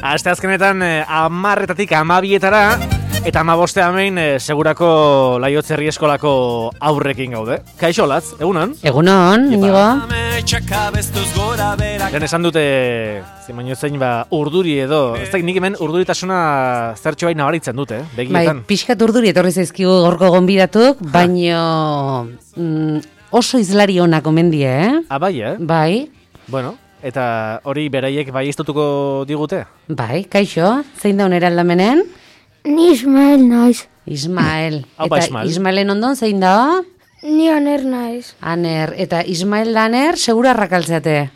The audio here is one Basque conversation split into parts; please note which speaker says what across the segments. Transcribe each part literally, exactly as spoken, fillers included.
Speaker 1: Aste azkenetan hamarretatik hamabietara eta hamaboste hemen segurako Laiotze Herri Eskolako aurrekin gaude. Kaixo Latz, egunon?
Speaker 2: Egunon, Inigo.
Speaker 1: Lehen esan dute, zimaino zein ba, urduri edo, ez da nik hemen urduritasuna zertxo bai nabaritzen dute, begietan.
Speaker 2: Bai, pixkat urduri etorri zaizkigu gorko gonbidatuk, baino mm, oso izlari onak omen die, eh?
Speaker 1: Ah, bai, eh?
Speaker 2: Bai.
Speaker 1: Bueno, eta hori beraiek bai iztutuko digute?
Speaker 2: Bai, kaixo, zein da onera aldamenen?
Speaker 3: Ni Ismael naiz.
Speaker 2: Ismael.
Speaker 1: Haupa
Speaker 2: eta
Speaker 1: Ismael.
Speaker 2: Ismaelen ondon zein da?
Speaker 3: Ni Aner naiz.
Speaker 2: Aner. Eta Ismael da Aner, segura arrakaltzate.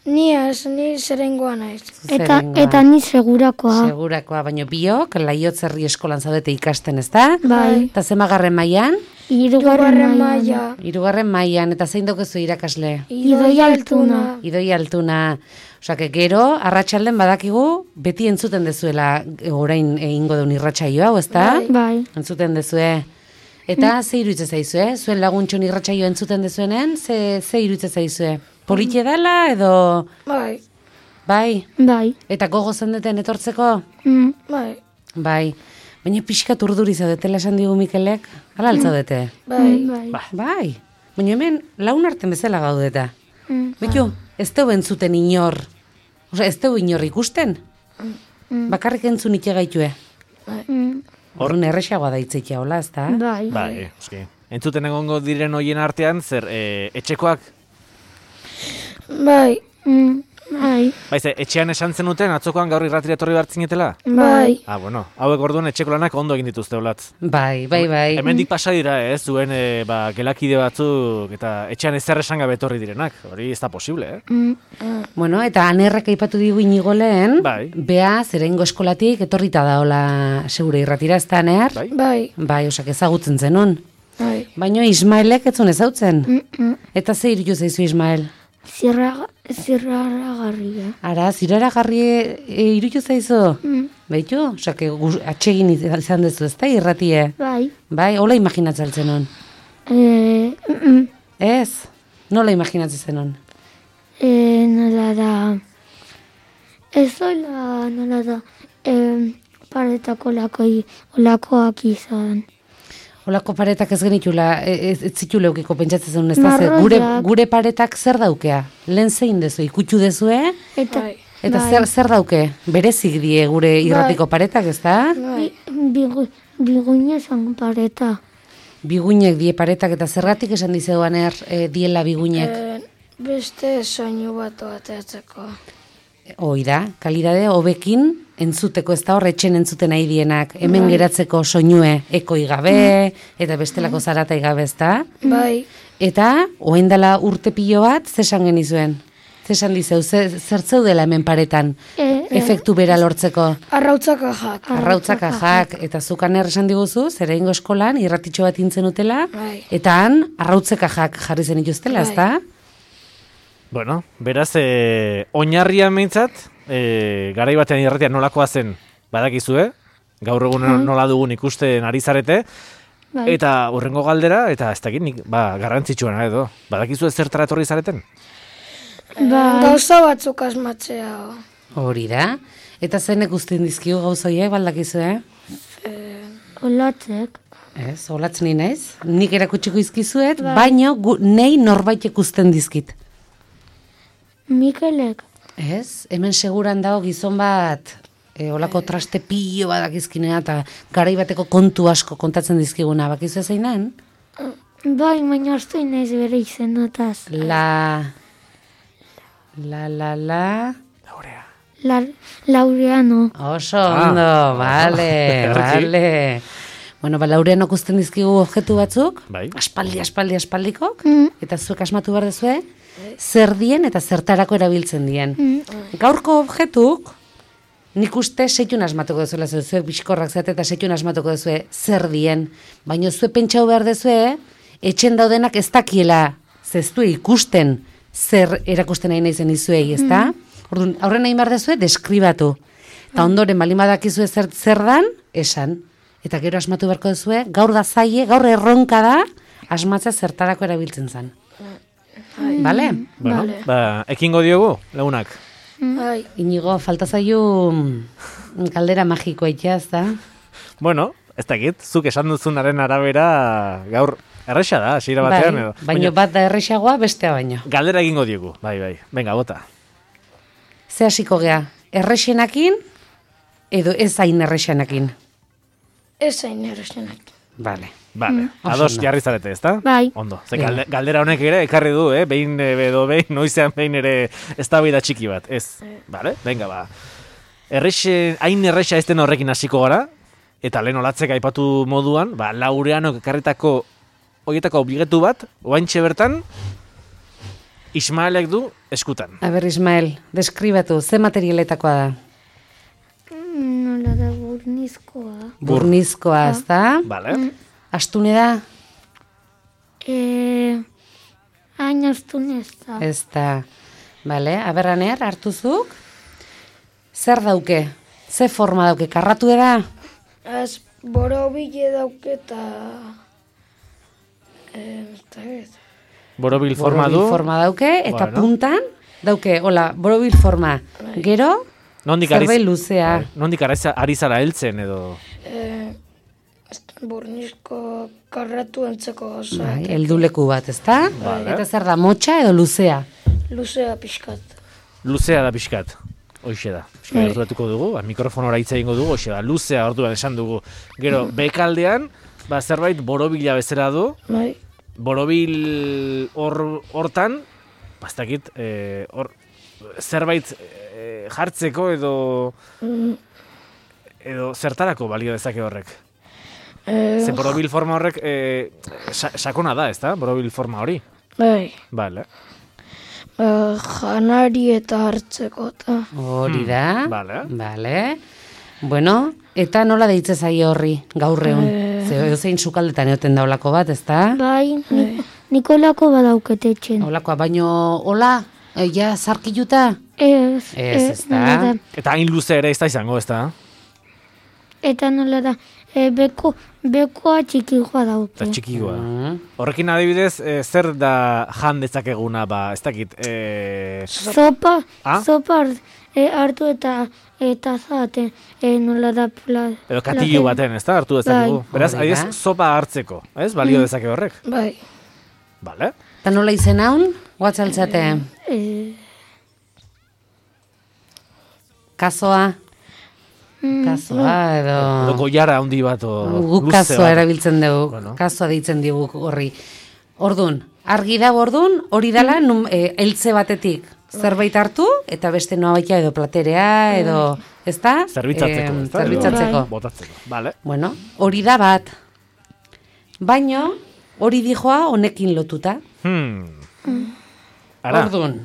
Speaker 3: Ni ez, ni zerengoa naiz.
Speaker 2: Eta,
Speaker 3: eta ni segurakoa.
Speaker 2: Segurakoa, baino biok, Laiotze Herri Eskolan zaudete ikasten, ezta?
Speaker 3: Bai.
Speaker 2: Eta zemagarren mailan?
Speaker 3: Hirugarren maila.
Speaker 2: Hirugarren mailan, eta zein dokezu irakasle?
Speaker 3: Idoi Altuna.
Speaker 2: Idoi Altuna. Osea, que gero, arratsalden badakigu, beti entzuten dezuela orain egingo duen irratsaio hau, ezta?
Speaker 3: Bai.
Speaker 2: Entzuten dezue. Eta ze iruditzen zaizue? Zuen laguntxon irratsaio entzuten dezuenen, ze, ze iruditzen zaizue? Politxe dela edo...
Speaker 3: Bai.
Speaker 2: Bai?
Speaker 3: Bai.
Speaker 2: Eta gogo zendeten etortzeko?
Speaker 3: Mm. Bai.
Speaker 2: Bai. Baina pixkat urduri zaudetela esan digu Mikelek? Hala altzaudete?
Speaker 3: Bai. Bai.
Speaker 2: Bai. Baina hemen laun arten bezala gaudeta.
Speaker 3: Mm.
Speaker 2: Betu, ez teu entzuten inor. Osa, ez teu inor ikusten?
Speaker 3: Mm.
Speaker 2: Bakarrik entzun ite gaitue.
Speaker 3: Bai. Mm.
Speaker 2: Horren erresagoa da itzeitea, hola, ez da?
Speaker 3: Bai.
Speaker 1: Bai, eski. Entzuten egongo diren hoien artean, zer, e, etxekoak?
Speaker 3: Bai. Mm. Bai.
Speaker 1: Bai, ze, etxean esan zenuten, atzokoan gaur irratira etorri behartzinetela?
Speaker 3: Bai.
Speaker 1: Ah, bueno, hauek orduan etxeko lanak ondo egin dituzte, Olatz.
Speaker 2: Bai, bai, bai.
Speaker 1: Hemendik pasa dira, ez, zuen e, ba, gelakide batzuk eta etxean ezer esan gabe etorri direnak. Hori ez da posible, eh?
Speaker 3: Mm.
Speaker 2: Bueno, eta Anerrak aipatu digu Inigo lehen,
Speaker 1: Bai.
Speaker 2: bea zerengo eskolatik etorrita daola segure irratira, ez da, Aner?
Speaker 1: Bai.
Speaker 3: Bai.
Speaker 2: Bai, osak ezagutzen zenun.
Speaker 3: Bai.
Speaker 2: Baina Ismaelek etzun ezautzen.
Speaker 3: Mm-mm.
Speaker 2: Eta ze irutu zaizu Ismael?
Speaker 3: Zirra, zirraragarria.
Speaker 2: Ara, ziraragarri e, irutu zaizu?
Speaker 3: Mm.
Speaker 2: Baitu? Osak, atsegin izan dezu, ez da, irratie?
Speaker 3: Bai.
Speaker 2: Bai, hola imaginatzen zenun?
Speaker 3: Eh, mm,
Speaker 2: Ez? Nola imaginatzen zenun?
Speaker 3: eh, nola da... Ez hola, nola da... Eh, paretako lakoi, olakoak izan.
Speaker 2: Olako paretak ez genitula, ez, ez zitu leukiko pentsatzen zenun, ez da, ze, gure,
Speaker 3: Marroiak.
Speaker 2: gure paretak zer daukea? Lehen zein dezu, ikutxu dezue?
Speaker 3: Eta,
Speaker 1: Bai.
Speaker 2: Eta
Speaker 3: bai.
Speaker 2: zer, zer dauke? Berezik die gure irratiko paretak, ez da?
Speaker 3: Bi, bigu, biguina zan pareta.
Speaker 2: Biguinek die paretak, eta zergatik esan dizeduan er, e, diela biguinek?
Speaker 3: Eh, beste soinu bat ateatzeko.
Speaker 2: Hoi da, kalidade hobekin entzuteko, ez da hor etxen entzuten nahi dienak, hemen geratzeko soinue ekoi gabe, eta bestelako zaratai gabe, ez da?
Speaker 3: Bai.
Speaker 2: Eta, oen dela urte pilo bat, zesan genizuen? Zesan dizeu, ze, zertzeu dela hemen paretan,
Speaker 3: E,
Speaker 2: efektu bera lortzeko?
Speaker 3: Arrautzak ajak.
Speaker 2: Arrautzak ajak, eta zukan esan diguzu, zer egingo eskolan, irratitxo bat intzen utela,
Speaker 3: Bai.
Speaker 2: eta han, arrautzek ajak jarri zen ituztela, ez da?
Speaker 1: Bueno, beraz, e, oinarria meintzat, e, garai batean irratia nolakoa zen badakizue, gaur egun nola dugun ikusten ari zarete,
Speaker 3: Bai.
Speaker 1: eta hurrengo galdera, eta ez dakit nik, ba, garrantzitsuena edo, badakizue zertara etorri zareten?
Speaker 3: Bai. Gauza batzuk asmatzea.
Speaker 2: Hori da. Eta zeinek usten dizkigu gauzoiek, baldakizue?
Speaker 3: Olatzek.
Speaker 2: Ez, olatzen ni naiz. Nik erakutsiko izkizuet, baino gu, nei norbait ikusten dizkit.
Speaker 3: Mikelek.
Speaker 2: Ez, hemen seguran dago gizon bat, e, olako traste pilo badakizkinea, eta garai bateko kontu asko kontatzen dizkiguna, bakizu zein den?
Speaker 3: Bai, baina hartu inaiz bere izenotaz.
Speaker 2: La... La, la, la...
Speaker 1: Laurea.
Speaker 3: La, Laureano.
Speaker 2: Oso ondo, bale, bale. Bueno, ba, Laureano ikusten dizkigu objektu batzuk,
Speaker 1: Bai.
Speaker 2: aspaldi, aspaldi, aspaldikok,
Speaker 3: Mm.
Speaker 2: eta zuek asmatu behar dezue, zer dien eta zertarako erabiltzen dien. Gaurko objektuk, nik uste seitun asmatuko dezuela, zuek bizkorrak zate eta seitun asmatuko dezue zer dien. Baina zuek pentsau behar dezue, etxen daudenak ez dakiela, zeztu ikusten zer erakusten nahi nahi zen izuei, ez da? Orduan, aurren nahi behar dezue, deskribatu. Eta ondoren, balin badakizue zer, zer dan, esan. Eta gero asmatu beharko dezue, gaur da zaie, gaur erronka da, asmatzea zertarako erabiltzen zen. Bale?
Speaker 1: Bueno, ba, ekingo diogu, lagunak.
Speaker 3: Bai.
Speaker 2: Inigo, falta zaio mm, galdera magikoa itxaz, da?
Speaker 1: Bueno, ez dakit, zuk esan duzunaren arabera gaur erresa da, hasiera batean.
Speaker 2: Bai,
Speaker 1: edo.
Speaker 2: baino bat da erresagoa, bestea baino.
Speaker 1: Galdera egingo diegu, bai, bai. Venga, bota.
Speaker 2: Ze hasiko gea, erresenakin edo ez hain erresenakin?
Speaker 3: Ez zain erresenak.
Speaker 2: Vale.
Speaker 1: Vale,
Speaker 2: Oso
Speaker 1: ados
Speaker 2: ondo.
Speaker 1: jarri zarete, ezta?
Speaker 3: Bai.
Speaker 1: Ondo, ze
Speaker 2: Venga.
Speaker 1: galde- galdera honek ere ekarri du, eh? Behin eh, edo behin, noizean behin ere eztabaida txiki bat, ez. Vale, venga, ba. Errexe, hain erresa ez den horrekin hasiko gara, eta lehen olatzek aipatu moduan, ba, Laureanok ekarritako horietako obligetu bat, oaintxe bertan, Ismaelek du eskutan.
Speaker 2: A ber, Ismael, deskribatu, ze materialetakoa da?
Speaker 3: Nola da burnizkoa.
Speaker 1: Bur-
Speaker 2: Burnizkoa, ez da?
Speaker 1: Vale?
Speaker 2: Astune da?
Speaker 3: E, hain astun ez da.
Speaker 2: Ez da. Vale, aberraner, hartuzuk? Zer dauke? Ze forma dauke? Karratu da?
Speaker 3: Az borobile dauketa... E,
Speaker 1: Borobil forma
Speaker 2: Borobil
Speaker 1: du.
Speaker 2: forma dauke, eta
Speaker 1: Bueno.
Speaker 2: puntan dauke, hola, borobil forma. Gero,
Speaker 1: Nondik ari,
Speaker 2: zerbait luzea.
Speaker 1: bai, nondik ari za- ari zara heltzen edo...
Speaker 3: e, burnizko karratu entzeko oso.
Speaker 2: Bai, helduleku bat, ezta?
Speaker 1: Vale.
Speaker 2: Eta zer da, motxa edo luzea?
Speaker 3: Luzea pixkat.
Speaker 1: Luzea da pixkat. Hoixe da. Pixkat
Speaker 3: Bai.
Speaker 1: gerturatuko dugu, ba, mikrofonora hitz egingo dugu, hoxe da. Luzea orduan esan dugu. Gero, bekaldean, ba, zerbait borobila bezala du.
Speaker 3: Bai.
Speaker 1: Borobil hor hortan, bastakit, eh, hor zerbait eh, jartzeko edo edo zertarako balio dezake horrek.
Speaker 3: E,
Speaker 1: Ze borobil forma horrek eh, sa- sakona da, ezta? Borobil forma hori.
Speaker 3: bai.
Speaker 1: Vale.
Speaker 3: E, janari eta hartzeko eta.
Speaker 2: Hori da.
Speaker 1: Vale.
Speaker 2: Vale. Bueno, eta nola deitze zaio horri, gaur egun? Zeo, zein sukaldetan egoten da olako bat, ezta?
Speaker 3: Bai, ni, Nikolako badaukete etxen.
Speaker 2: Olakoa, baino, hola, e, ja, zarkiluta?
Speaker 3: Ez,
Speaker 2: Ez, ez da.
Speaker 3: nola da.
Speaker 1: Eta hain luze ere ez da izango, ezta?
Speaker 3: Eta nola da, e, beko, bekoa txikikoa dauke.
Speaker 1: Eta txikigoa.
Speaker 2: Mm.
Speaker 1: Horrekin adibidez, eh, zer da jan dezakeguna, ba, ez dakit, eh,
Speaker 3: Zopa,
Speaker 1: Ah?
Speaker 3: zopa hart- e, hartu eta eta zate, e, nola da pla,
Speaker 1: edo katilu baten, ez da, hartu dezakegu.
Speaker 3: Bai.
Speaker 1: Beraz,
Speaker 2: Hori da.
Speaker 1: adibidez, sopa hartzeko, ez? Balio dezake horrek.
Speaker 3: Bai.
Speaker 1: Vale?
Speaker 2: Eta nola izen haun, guatzaltzate?
Speaker 3: E,
Speaker 2: Kazoa?
Speaker 3: mm,
Speaker 2: Kazoa edo...
Speaker 1: Edo goiara handi bat, o
Speaker 2: Guk
Speaker 1: luze
Speaker 2: kazoa
Speaker 1: bat.
Speaker 2: erabiltzen dugu,
Speaker 1: Bueno.
Speaker 2: kazoa deitzen digu horri. Ordun, argi da ordun, hori dela nun, e, eltze batetik zerbait hartu, eta beste noa baita edo platerea, edo, ezta?
Speaker 1: Zerbitzatzeko,
Speaker 2: Em,
Speaker 1: ez da?
Speaker 2: zerbitzatzeko.
Speaker 1: Edo Botatzeko, vale?
Speaker 2: Bueno, hori da bat. Baino, hori dijoa honekin lotuta.
Speaker 1: Hmm. Ara,
Speaker 2: Ordun.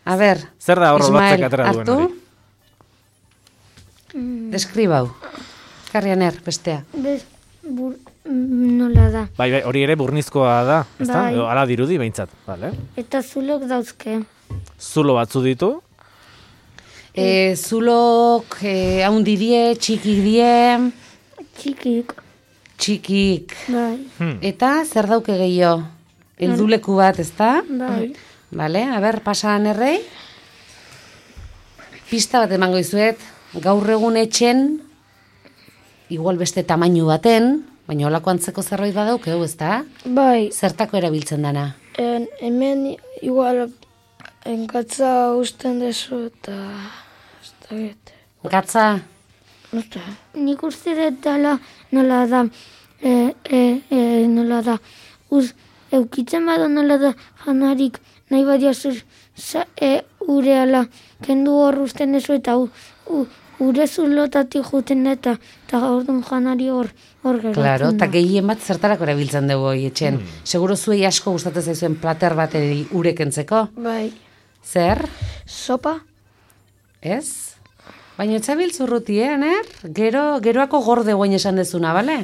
Speaker 2: A ber,
Speaker 1: zer da hor
Speaker 2: Ismael,
Speaker 1: batzek atera duen
Speaker 2: hartu?
Speaker 1: hori?
Speaker 2: Deskribau. Karrianer, bestea.
Speaker 3: bez, bur, mm, nola da.
Speaker 1: Bai, bai, hori ere burnizkoa da, ez da?
Speaker 3: Bai.
Speaker 1: Edo ala dirudi behintzat, vale?
Speaker 3: Eta zulok dauzke.
Speaker 1: Zulo batzu ditu,
Speaker 2: E, zulok, e, haundi die, txikik die,
Speaker 3: Txikik.
Speaker 2: txikik.
Speaker 3: Bai.
Speaker 1: hmm.
Speaker 2: Eta zer dauke gehiago? Helduleku bat, ezta?
Speaker 3: Bai.
Speaker 2: Vale, a ber, pasan errei. Pista bat emango izuet, gaur egun etxen, igual beste tamainu baten, baina holako antzeko zerbait badauke, ezta?
Speaker 3: Bai.
Speaker 2: Zertako erabiltzen dana?
Speaker 3: En, hemen igual enkatza usten dezu eta... Ez da get.
Speaker 2: Gatza,
Speaker 3: Osta. Nik uste dut dela nola da, e, e, e, nola da, uz, eukitzen bada nola da janarik nahi badia zur, sa, e, ure ala, kendu hor usten dezu eta u, u, ure zulotatik juten eta, eta orduan janari hor, hor geratzen
Speaker 2: claro, eta
Speaker 3: da.
Speaker 2: gehien bat zertarako erabiltzen dugu hoi etxen. Seguro zuei asko gustatzen zaizuen plater bateri urekentzeko.
Speaker 3: Bai.
Speaker 2: Zer?
Speaker 3: Sopa?
Speaker 2: Ez? Baina etxabil zurruti, eh, Aner? Gero, geroako gorde guain esan dezuna, bale?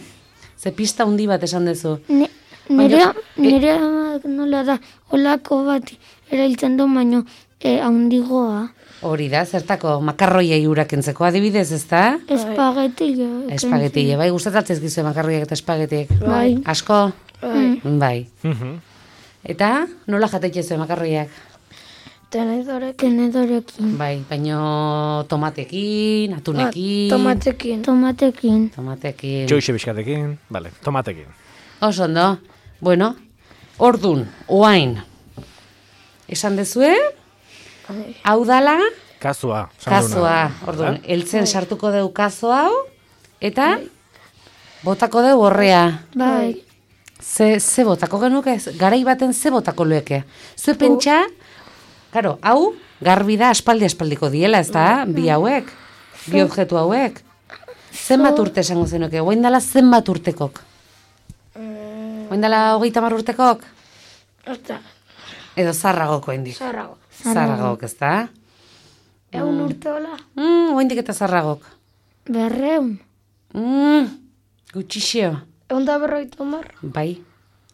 Speaker 2: Ze pista hundi bat esan dezu.
Speaker 3: Ne,
Speaker 2: Baina-
Speaker 3: nire, nire amak nola da, olako bat erailtzen du, baino e, handigoa.
Speaker 2: Hori da, zertako makarroiei urakentzeko adibidez, ezta?
Speaker 3: Espagetila.
Speaker 2: Espagetile, bai, gustatzen zaizkizue makarroiak eta espagetik.
Speaker 3: Bai.
Speaker 2: Asko?
Speaker 3: Bai.
Speaker 2: Bai.
Speaker 1: Mhm.
Speaker 2: Eta nola jatetxe zuen makarroiak?
Speaker 3: Tenedorekin. Tenedorekin.
Speaker 2: Bai, baino tomatekin, atunekin.
Speaker 3: Tomatekin. Tomatekin.
Speaker 2: Tomatekin.
Speaker 1: Txoixe bizkatekin, vale, tomatekin.
Speaker 2: Oso ondo. Bueno, ordun, oain. Esan dezue? Hau dala?
Speaker 1: Kazua.
Speaker 2: Kazua. Ordun, eltzen sartuko deu kazo hau, eta botako deu horrea.
Speaker 3: Bai.
Speaker 2: Ze, ze botako genuke? Garai baten ze botako lueke? Zue pentsa, karo, hau garbi da aspaldi-aspaldiko diela, ez da? Bi hauek, bi objektu hauek. Zenbat urte esango zenuke? Oain dala zenbat urtekok? Oain dala hogeita mar urtekok?
Speaker 3: Osta.
Speaker 2: Edo zarragoko hendik?
Speaker 3: Zarrago.
Speaker 2: Zarragok, ez da?
Speaker 3: Egun urte hola?
Speaker 2: Mm, oaindik eta zarragok.
Speaker 3: Berreun.
Speaker 2: Mm, gutxixio.
Speaker 3: Egun da berroita mar?
Speaker 2: Bai.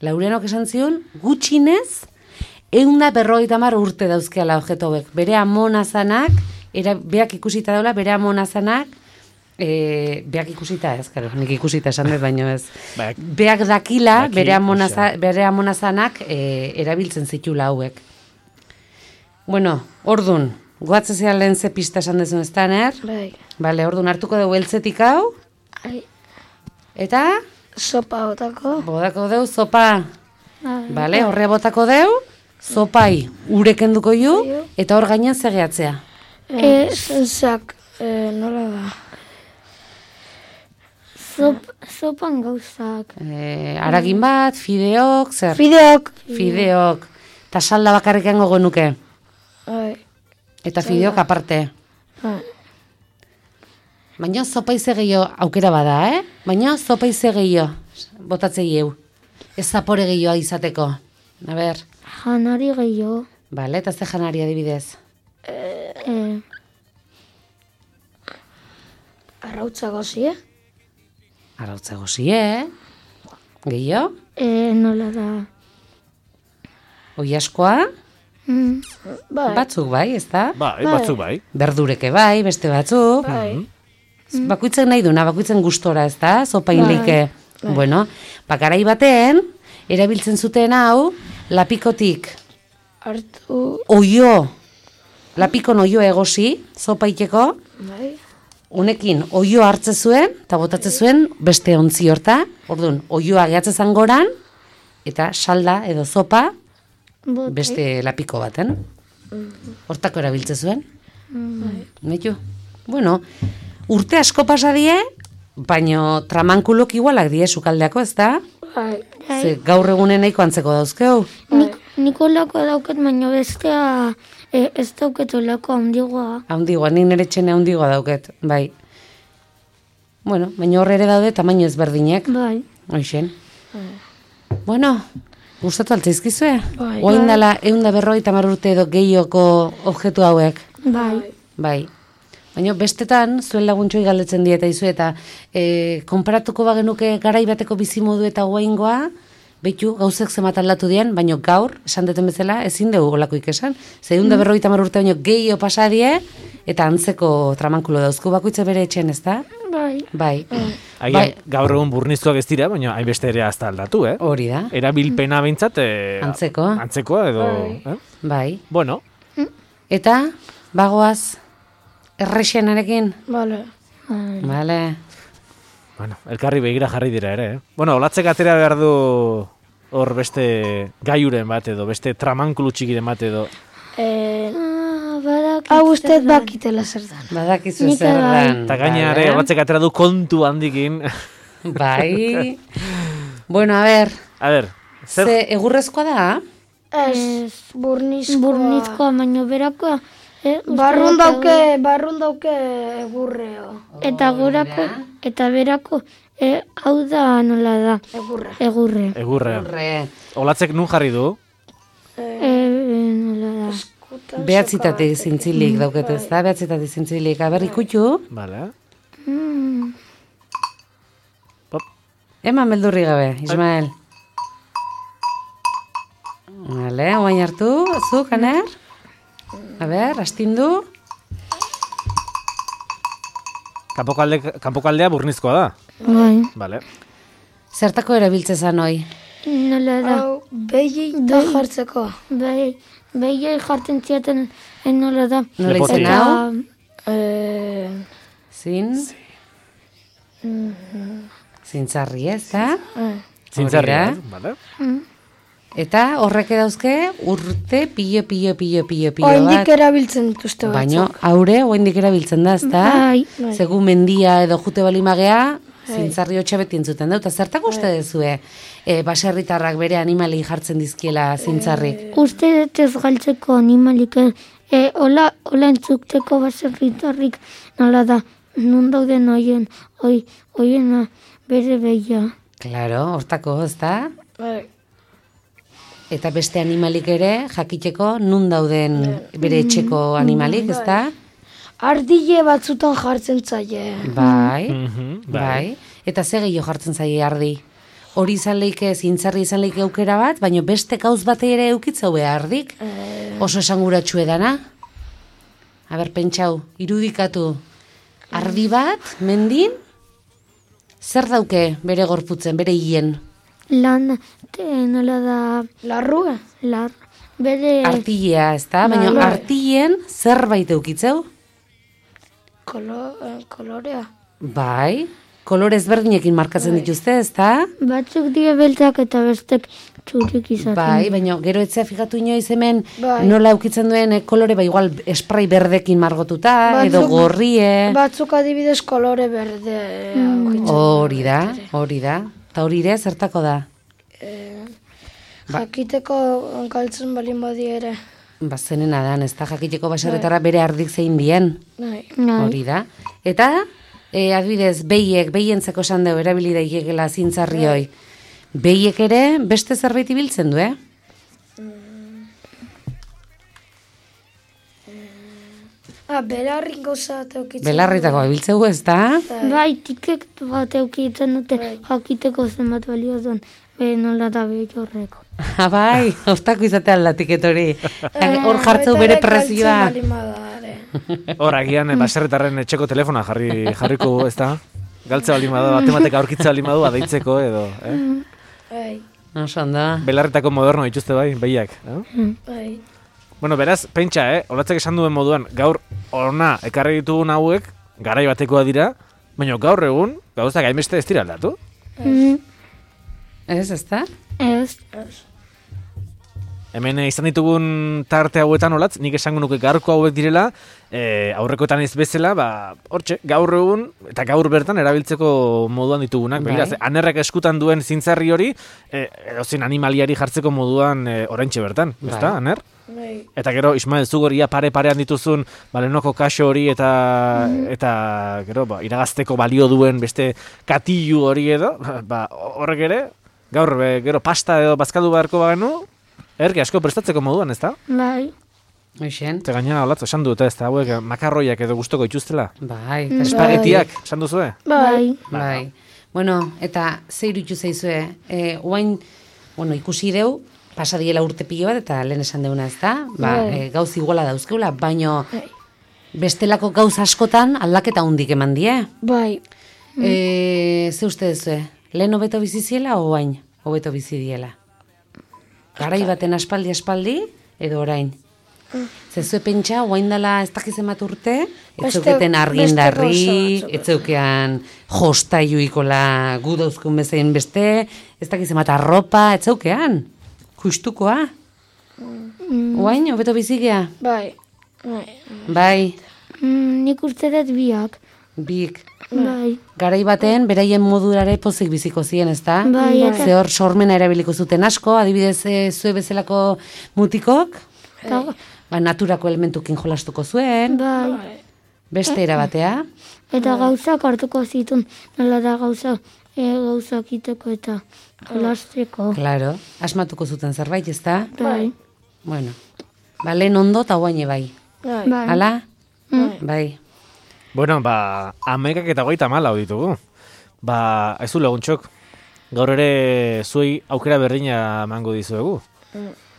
Speaker 2: Laurenok esan zion, gutxinez, eunda berroita mar urte dauzkeala objeto hauek. Bere amonazanak, era, beak ikusita daula, bere amonazanak, e, beak ikusita ez, karo, nik ikusita esan dut, baino ez.
Speaker 1: Beak,
Speaker 2: beak dakila,
Speaker 1: daki,
Speaker 2: bere, amonaza, bere amonazanak e, erabiltzen zitula hauek. Bueno, ordun, goatze zea lehen ze pista esan dezun ez da, ner?
Speaker 3: Bai.
Speaker 2: Bale, ordun hartuko dugu eltzetik hau,
Speaker 3: Ai.
Speaker 2: eta
Speaker 3: Sopa botako.
Speaker 2: bodako deu zopa.
Speaker 3: Bai.
Speaker 2: Bale, horre botako deu, zopai urek enduko ju, eta hor gainean zegeatzea.
Speaker 3: E, zak, e, nola da? Zop, zopan gauzak.
Speaker 2: E, aragin bat, fideok, zer?
Speaker 3: Fideok.
Speaker 2: Fideok. Ta salda bakarrik hango genuke.
Speaker 3: Bai.
Speaker 2: Eta fideok aparte.
Speaker 3: Bai.
Speaker 2: Baina zopa ize gehiago aukera bada, eh? Baina zopa ize gehiago botatzei eu. Ez zapore gehiagoa izateko. A ber.
Speaker 3: Janari gehiago.
Speaker 2: Bale, eta ze janari adibidez.
Speaker 3: E, arrautza gozie.
Speaker 2: Arautza gozie, eh? Gehiago?
Speaker 3: E, nola da?
Speaker 2: Oiaskoa?
Speaker 3: Mm. Bai.
Speaker 2: Batzuk bai, ez da?
Speaker 1: bai, batzuk bai.
Speaker 2: Berdureke bai, beste batzuk.
Speaker 3: Bai.
Speaker 2: Bakoitzen nahi duna, bakoitzen gustora, ez da? Zopain
Speaker 3: Bai.
Speaker 2: leike. Bueno, bakarai baten, erabiltzen zuten hau, lapikotik
Speaker 3: Hartu.
Speaker 2: oio, lapikon oio egosi, zopaiteko,
Speaker 3: Bai.
Speaker 2: unekin oio hartze zuen, eta botatze zuen beste ontzi horta, orduan, oioa gehatze zangoran, eta salda edo zopa,
Speaker 3: Bote.
Speaker 2: beste lapiko baten. Hortako erabiltze zuen. Metu. Bueno, urte asko pasa die, baino tramankulok igualak die sukaldeako, ez da?
Speaker 3: Bai.
Speaker 2: Ze gaur egunen nahiko antzeko dauzkeu.
Speaker 3: Nik, Nikolako dauket, baina bestea e, ez dauket olako handigoa.
Speaker 2: Haundigoa, nik nire txene haundigoa dauket, bai. Bueno, baina horre ere daude tamaino ezberdinek.
Speaker 3: Bai.
Speaker 2: Hoixen. Bueno, gustatu altzaizkizue?
Speaker 3: Bai.
Speaker 2: Oain dala eunda berrogeita hamar urte edo gehioko objektu hauek.
Speaker 3: Bai.
Speaker 2: Bai. Baina bestetan, zuen laguntxoi galdetzen dieta izu eta e, konparatuko bagenuke garai bateko bizimodu eta guaingoa, behitu gauzek zemat aldatu dian, baina gaur, esan deten bezala, ezin dugu olakoik esan. Zeunda berrogeita hamar urte baino gehiago pasadie, eta antzeko tramankulo dauzku bakoitza bere etxen, ez da?
Speaker 3: Bai.
Speaker 2: Bai.
Speaker 1: Agian,
Speaker 2: Bai.
Speaker 1: gaur egun burniztuak ez dira, baina hainbeste ere azta aldatu, eh?
Speaker 2: Hori da.
Speaker 1: Erabilpena behintzat, eh,
Speaker 2: Antzeko.
Speaker 1: Antzekoa edo... Eh?
Speaker 2: Bai.
Speaker 1: Bueno,
Speaker 2: Eta, bagoaz, errexenarekin?
Speaker 3: Bale.
Speaker 2: Bale.
Speaker 1: bueno, elkarri begira jarri dira ere, eh? Bueno, olatzek atera behar du hor beste gaiuren bat edo, beste tramankulu txikiren bat edo.
Speaker 3: E,
Speaker 4: Ah, badakit.
Speaker 3: hau uste bakitela zer dan.
Speaker 2: Badakizu
Speaker 3: Nik
Speaker 2: zer
Speaker 3: bai.
Speaker 2: dan.
Speaker 1: Eta gaina
Speaker 2: Bale.
Speaker 1: ere, olatzek atera du kontu handikin.
Speaker 2: Bai. Bueno, a ver,
Speaker 1: A ber, zer...
Speaker 2: ze egurrezkoa da?
Speaker 3: Ez, burnizkoa.
Speaker 4: Burnizkoa, baino berakoa. Eh, uste
Speaker 3: Barrun
Speaker 4: dut
Speaker 3: dauke, barrun dauke egurreo.
Speaker 4: Eta gorako, eta berako, eh, hau da nola da,
Speaker 3: Egurre.
Speaker 4: egurre.
Speaker 1: Egurre.
Speaker 2: Horre,
Speaker 1: Olatzek nun jarri du?
Speaker 4: Eh, nola da.
Speaker 2: behatzitatik zintzilik dauket ez da, behatzitatik zintzilik. Aber, ikutu,
Speaker 1: Vale.
Speaker 4: Mm,
Speaker 1: Pop.
Speaker 2: eman beldurri gabe, Ismael. Vale, oain hartu, zu, Kaner. A ber, astindu.
Speaker 1: Kanpoko alde, kanpoko aldea burnizkoa da.
Speaker 4: bai.
Speaker 1: Vale.
Speaker 2: Zertako erabiltze zan hoi?
Speaker 4: Nola da,
Speaker 3: Hau, Behi da jartzeko. Behi, behi jartzen ziaten nola da.
Speaker 2: Nola izan hau?
Speaker 3: Eh,
Speaker 2: Zin? Zintzarri ez, da?
Speaker 1: Zintzarri,
Speaker 2: Hori da.
Speaker 1: bale?
Speaker 2: Eta horrek dauzke urte pilo, pilo, pilo, pilo, pilo
Speaker 3: Oindik
Speaker 2: bat.
Speaker 3: erabiltzen dituzte batzuk.
Speaker 2: Baina haure oindik erabiltzen da, ezta?
Speaker 3: Bai, bai.
Speaker 2: Segu mendia edo jute balimagea, zintzarri hotxa beti entzuten da. Eta zertak uste dezue, e, baserritarrak bere animali jartzen dizkiela zintzarrik?
Speaker 4: Uste dut ez galtzeko animalik, e, hola, hola entzukteko baserritarrik nola da, nun dauden oien, oi, oiena bere behia.
Speaker 2: Claro, hortako, ezta?
Speaker 3: Bai.
Speaker 2: Eta beste animalik ere, jakiteko nun dauden bere etxeko animalik, ezta?
Speaker 3: Ardile batzutan jartzen zaie.
Speaker 2: Bai,
Speaker 1: Mhm,
Speaker 2: bai. Eta ze gehiago jartzen zaie ardi? Hori izan leike, zintzarri izan leike aukera bat, baina beste gauz bate ere eukitzau ardik? Oso esanguratsu edana? Aber, pentsau, irudikatu. Ardi bat, mendin, zer dauke bere gorputzen, bere hien?
Speaker 4: Lan, te, nola da,
Speaker 3: Larrua?
Speaker 4: lar, bere
Speaker 2: Artilea, ez da? Baina
Speaker 3: Bai.
Speaker 2: artilien zerbait eukitzeu?
Speaker 3: Kolo, eh, kolorea.
Speaker 2: Bai, kolore ezberdinekin markatzen dituzte, ez da?
Speaker 4: batzuk die beltzak eta bestek txurik izaten.
Speaker 2: Bai, baina gero etzea fijatu inoiz hemen
Speaker 3: Bai.
Speaker 2: nola eukitzen duen eh, kolore, ba igual esprai berdekin margotuta, edo
Speaker 3: Batzuk-
Speaker 2: gorrie.
Speaker 3: Batzuk adibidez kolore berde. Mm.
Speaker 2: Hori da, hori da. Eta hori ere, zertako da?
Speaker 3: Jakiteko galtzen balin badi ere.
Speaker 2: Ba, zenena dan, ez da, jakiteko baserretara bere ardik zein dien.
Speaker 3: Nahi.
Speaker 2: Hori da. Eta, e, adibidez, behiek, behientzako esan dugu, erabili daigekela zintzarri hoi. Behiek ere, beste zerbait ibiltzen du, eh?
Speaker 3: Ah, belarrik gauza teukitzen.
Speaker 2: Belarritako ibiltzeu, ez da?
Speaker 4: Bai, tikek bat eukitzen dute jakiteko zenbat balio duen, be nola da behi horreko.
Speaker 2: Ha, bai, hortako izatea aldatik hori. Hor jartzeu bere prezioa.
Speaker 1: Hor, agian, eh, baserritarren etxeko telefona jarri, jarriko, ez da? Galtze bali madu, batematek aurkitze bali madu, adeitzeko edo, eh?
Speaker 3: Bai,
Speaker 2: Oso ondo.
Speaker 1: Belarritako moderno dituzte bai, behiak, eh?
Speaker 3: bai.
Speaker 1: Bueno, beraz, pentsa, eh? Olatzek esan duen moduan, gaur ona ekarri ditugun hauek, garai batekoa dira, baina gaur egun, gauzak hainbeste ez dira aldatu.
Speaker 4: Mm,
Speaker 2: Ez, ez da?
Speaker 4: ez,
Speaker 1: Hemen eh, izan ditugun tarte hauetan olatz, nik esango nuke gaurko hauek direla, eh, aurrekoetan ez bezala, ba, hortxe, gaur egun, eta gaur bertan erabiltzeko moduan ditugunak.
Speaker 2: Bai.
Speaker 1: Begira, ze anerrak eskutan duen zintzarri hori, eh, edozein animaliari jartzeko moduan eh, oraintxe bertan,
Speaker 2: Bai.
Speaker 1: ezta, aner?
Speaker 3: Bai.
Speaker 1: Eta gero, Ismael, zugoria pare-parean dituzun, balenoko kaxo hori eta, eta gero, ba, iragazteko balio duen beste katilu hori edo, ba, horrek ere, gaur, be, gero pasta edo bazkadu beharko bagenu, erki asko prestatzeko moduan, ez da?
Speaker 4: bai,
Speaker 2: Hoxen.
Speaker 1: Eta gaina, olatzo, esan dute, ez da, hauek makarroiak edo gustoko ituztela.
Speaker 2: Bai,
Speaker 4: Mm.
Speaker 2: eta
Speaker 1: Espagetiak, esan duzue?
Speaker 4: bai,
Speaker 2: Bai. Bueno, eta ze iruditu zaizue, e, oain, bueno, ikusi deu, pasadiela urte pilo bat, eta lehen esan deuna, ez da? Ba, e, gauz iguala dauzkeula, baino bestelako gauz askotan aldaketa hundik eman die.
Speaker 3: Bai.
Speaker 2: E, ze uste duzue, lehen hobeto bizi ziela, o oain hobeto bizi diela? Garai baten aspaldi aspaldi, edo orain? Zezue pentsa, oain dela ez dakiz emat urte, ez
Speaker 3: Beste-
Speaker 2: zeuketen argindarri,
Speaker 3: beste gauza batzuk.
Speaker 2: ez zeukean jostaiuikola gu dauzkun bezain beste, ez dakiz emat arropa, ez zeukean, justukoa. Oain, hobeto bizigea?
Speaker 3: Bai. Bai.
Speaker 2: Bai,
Speaker 4: mm, nik uste dut biak,
Speaker 2: bik.
Speaker 4: bai,
Speaker 2: Garai baten, beraien modurare pozik biziko ziren, ez da?
Speaker 4: Bai, eta-
Speaker 2: Ze hor sormena erabiliko zuten asko, adibidez e, zue bezalako mutikok,
Speaker 4: eta,
Speaker 2: ba, naturako elementukin jolastuko zuen,
Speaker 4: bai,
Speaker 2: beste erabatea.
Speaker 4: eta gauzak hartuko zituen, nola da gauza, e, gauzak iteko eta jolasteko,
Speaker 2: Claro, asmatuko zuten zerbait, ez da?
Speaker 4: bai,
Speaker 2: Bueno, ba, lehen ondo eta guaine bai.
Speaker 3: Bai.
Speaker 4: bai,
Speaker 2: Hala? Bai.
Speaker 1: Bueno, ba, amekak eta goita mala hau ditugu. Ba, ez du laguntxok, gaur ere zuei aukera berdina emango dizuegu.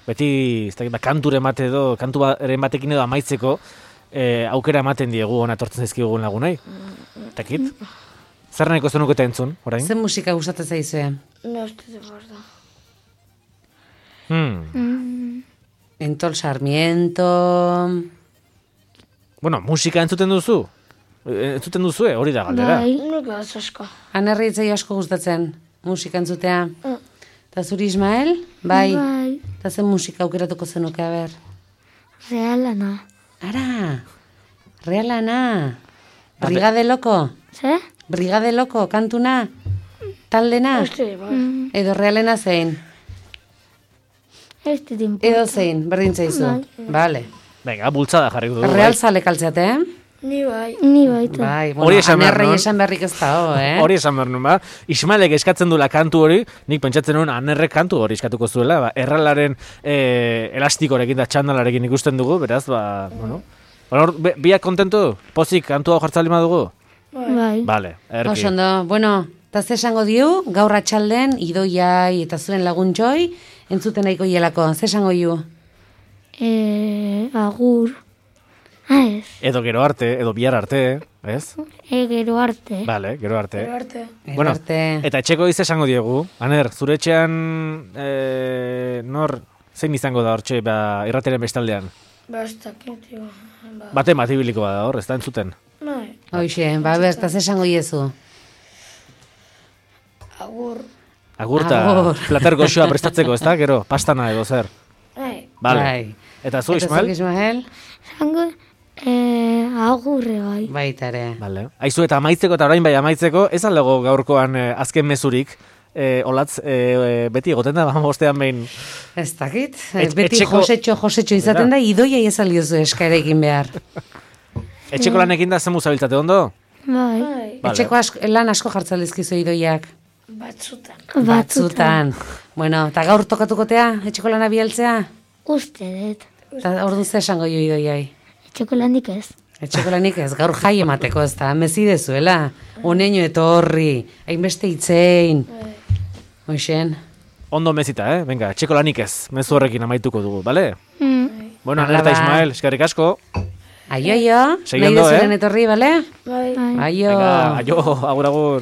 Speaker 1: Beti, ez dakit, ba, kanture emate edo, kanturen batekin edo amaitzeko, eh, aukera ematen diegu ona etortzen zaizkigun lagunei. Takit? Zer nahiko zenuketa entzun, orain?
Speaker 2: Zen musika gustatzen zaizue?
Speaker 3: Ne uste de borda.
Speaker 1: Hmm.
Speaker 3: Mm.
Speaker 2: Entol Sarmiento...
Speaker 1: Bueno, musika entzuten duzu? E, entzuten duzu, hori da galdera.
Speaker 3: Bai.
Speaker 4: Nik ez asko.
Speaker 2: Anerri itzai asko gustatzen musika entzutea.
Speaker 4: Mm.
Speaker 2: Eta zuri Ismael? Bai.
Speaker 3: Bai.
Speaker 2: Eta zen musika aukeratuko zenuke, a ber.
Speaker 3: Realana.
Speaker 2: Ara, realana. Brigade loko?
Speaker 3: Ze?
Speaker 2: Brigade loko, kantuna? Taldena?
Speaker 4: Este, bai.
Speaker 3: Mm.
Speaker 2: Edo realena zein?
Speaker 3: Ez dit importa.
Speaker 2: Edo zein, berdin zaizu. Vale.
Speaker 1: Venga, bultzada jarriko dugu.
Speaker 2: Real zale kaltzeate, eh?
Speaker 4: Ni bai.
Speaker 3: Ni baita.
Speaker 2: Bai,
Speaker 1: Hori
Speaker 2: bueno,
Speaker 1: esan behar
Speaker 2: anerrei
Speaker 1: nun.
Speaker 2: esan beharrik ez da, ho, eh?
Speaker 1: Hori esan behar nun, ba. Ismaelek eskatzen duela kantu hori, nik pentsatzen nuen anerrek kantu hori eskatuko zuela, ba. Erralaren e, elastikorekin da txandalarekin ikusten dugu, beraz, ba, bueno. Hor, be- biak kontentu? Pozik kantu hau jartzali dugu?
Speaker 3: Bai.
Speaker 1: Vale, erki.
Speaker 2: Oso ondo, bueno, eta ze esango diu, gaur atxalden, idoiai eta zuen lagun joi, entzuten nahiko hielako, ze esango diu?
Speaker 3: E, agur. Ah, ez.
Speaker 1: Edo gero arte, edo bihar arte, ez?
Speaker 3: E, gero arte.
Speaker 1: Vale, gero arte.
Speaker 4: Arte.
Speaker 1: Bueno,
Speaker 2: Arte.
Speaker 1: eta etxeko diz esango diegu. Aner, zure etxean, e, nor, zein izango da hortxe, ba, irrateren bestaldean?
Speaker 4: Ba, ez dakit, jo. Ba,
Speaker 1: Bate matibiliko da hor, ez da entzuten.
Speaker 4: bai.
Speaker 2: Hoxe, ba, ber, eta ze esango diezu?
Speaker 4: Agur.
Speaker 1: Agurta,
Speaker 2: Agur.
Speaker 1: plater goxoa prestatzeko, ez da, gero, pastana edo zer.
Speaker 4: Bai.
Speaker 1: Vale.
Speaker 2: Bai.
Speaker 1: Eta zu,
Speaker 2: Eta
Speaker 1: Ismael?
Speaker 2: zuk, Ismael?
Speaker 3: Zango, e, agurre bai.
Speaker 2: Baita ere.
Speaker 1: Vale. Aizu eta amaitzeko eta orain bai amaitzeko, ez aldago gaurkoan eh, azken mezurik, eh, olatz, eh, beti egoten da, bostean behin.
Speaker 2: Ez dakit,
Speaker 1: Et-
Speaker 2: beti
Speaker 1: etxeko-
Speaker 2: josetxo, josetxo izaten da, idoia ezaliozu eskaera egin behar.
Speaker 1: Etxeko lanekin da zemu zabiltzate ondo?
Speaker 3: Bai.
Speaker 4: Bai.
Speaker 1: Vale.
Speaker 2: Etxeko asko, lan asko jartzen dizkizu idoiak.
Speaker 4: Batzutan.
Speaker 2: Batzutan. Bueno, eta gaur tokatukotea, etxeko lana bialtzea?
Speaker 3: Uste dut.
Speaker 2: Eta ordu ze esango jo idoiai?
Speaker 3: Etxeko landik ez.
Speaker 2: Etxeko lanik ez, gaur jai emateko ez da, mezidezuela. Uneño etorri, hainbeste itzein. Hoxen.
Speaker 1: Ondo mezita, eh? Venga, etxeko lanik ez, mezu horrekin amaituko dugu, bale?
Speaker 3: Mm.
Speaker 1: Bueno,
Speaker 2: Hala
Speaker 1: Aner eta
Speaker 2: ba.
Speaker 1: Ismael, eskerrik asko.
Speaker 2: Aio, aio,
Speaker 1: Segi
Speaker 2: nahi
Speaker 1: ondo,
Speaker 2: dezuren
Speaker 1: eh?
Speaker 2: etorri, bale?
Speaker 4: Bai.
Speaker 3: Bai.
Speaker 2: Aio.
Speaker 1: Venga, aio, agur agur.